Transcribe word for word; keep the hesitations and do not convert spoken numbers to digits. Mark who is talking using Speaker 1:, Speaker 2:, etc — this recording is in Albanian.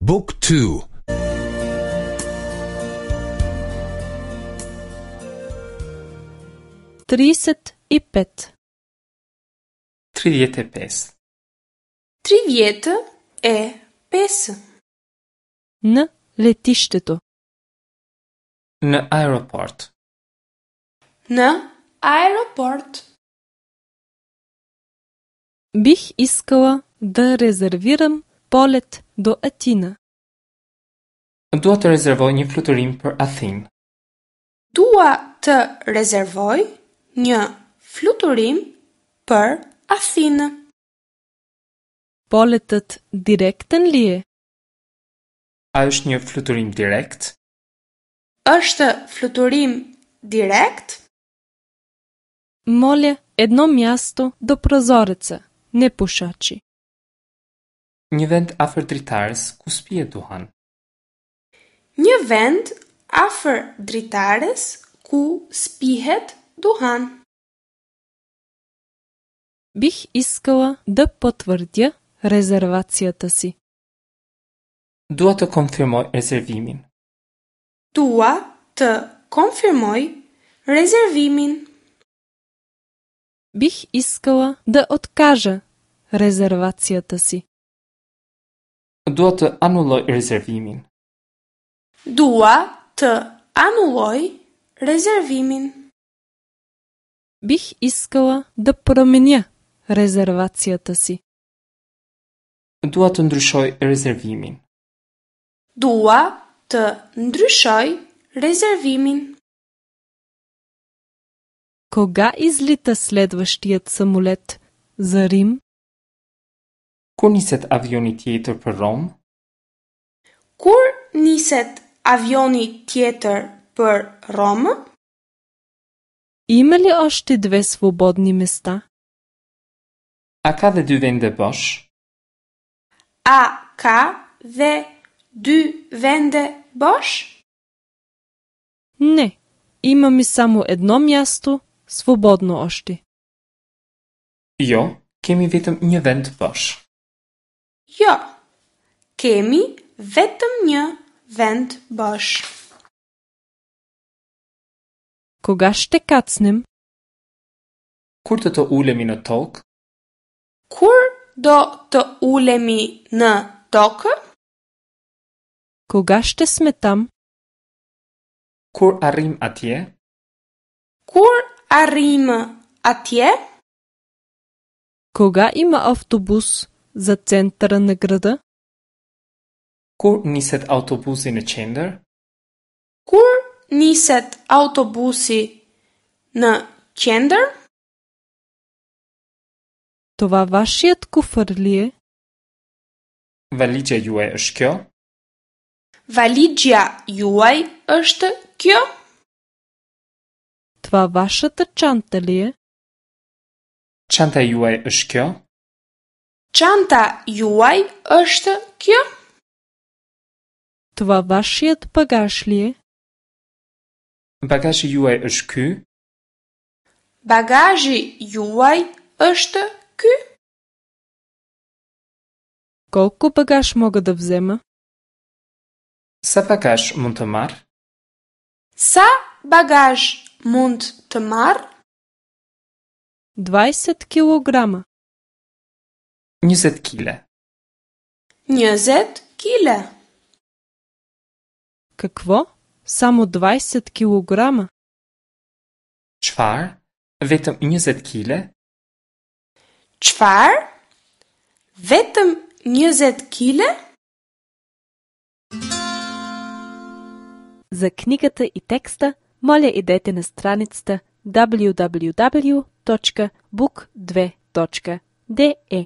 Speaker 1: Book two.
Speaker 2: Тридесет и пет.
Speaker 3: Tridhjetë e pesë.
Speaker 4: Tridhjetë e pesë.
Speaker 2: На летището.
Speaker 3: Në aeroport.
Speaker 4: Në aeroport.
Speaker 2: Бих искала да резервирам полет до Атина.
Speaker 3: Dua të rezervoj një fluturim për Athinë.
Speaker 4: Dua të rezervoj një fluturim për Athinë.
Speaker 2: Полетът директен ли е?
Speaker 3: A është një fluturim direkt?
Speaker 4: Është fluturim direkt?
Speaker 2: Моля едно място до прозореца, непушачи.
Speaker 3: Një vend afër dritares ku s'pihet duhan.
Speaker 4: Një vend afër dritares ku s'pihet duhan.
Speaker 2: Бих искала да потвърдя резервацията си.
Speaker 3: Dua të konfirmoj rezervimin.
Speaker 4: Dua të konfirmoj rezervimin.
Speaker 2: Бих искала да откажа резервацията си.
Speaker 3: Dua të anulloj rezervimin.
Speaker 4: Dua të anulloj rezervimin.
Speaker 2: Бих искала да променя резервацията си.
Speaker 3: Dua të ndryshoj rezervimin.
Speaker 4: Dua të ndryshoj rezervimin.
Speaker 2: Кога излита следващият самолет за Рим?
Speaker 3: Kur niset avioni tjetër për Romë?
Speaker 4: Kur niset avioni tjetër për Romë?
Speaker 2: Има ли още две свободни места?
Speaker 3: A ka dhe dy vende bosh?
Speaker 4: A ka dhe dy vende bosh?
Speaker 2: Не, имаме само едно място свободно още.
Speaker 3: Jo, kemi vetëm një vend bosh.
Speaker 4: Jo, kemi vetëm një vend bosh.
Speaker 2: Кога ще кацнем?
Speaker 3: Kur do të ulemi në tokë?
Speaker 4: Kur do të ulemi në tokë?
Speaker 2: Кога ще сме там?
Speaker 3: Kur arrim atje?
Speaker 4: Kur arrim atje?
Speaker 2: Кога има автобус за центъра на града?
Speaker 3: Kur niset autobusi në qendër?
Speaker 4: Kur niset autobusi në qendër?
Speaker 2: Това вашият куфар ли е?
Speaker 3: Valixhja juaj është kjo?
Speaker 4: Valixhja juaj është kjo?
Speaker 2: Това вашата чанта ли е?
Speaker 3: Çanta juaj është kjo?
Speaker 4: Çanta juaj është kjo?
Speaker 2: Това вашият багаж ли е?
Speaker 3: Bagazhi juaj është ky?
Speaker 4: Bagazhi juaj është ky?
Speaker 2: Колко багаж мога да взема?
Speaker 3: Sa bagazh mund të marr?
Speaker 4: Sa bagazh mund të marr?
Speaker 2: Двайсет килограма.
Speaker 3: Njëzet kile.
Speaker 4: Njëzet kile.
Speaker 2: Какво? Само двайсет килограма?
Speaker 3: Çfarë? Vetëm njëzet kile?
Speaker 4: Çfarë? Vetëm njëzet kile?
Speaker 2: За книгата и текста, моля идете на страницата w w w точка book две точка d e.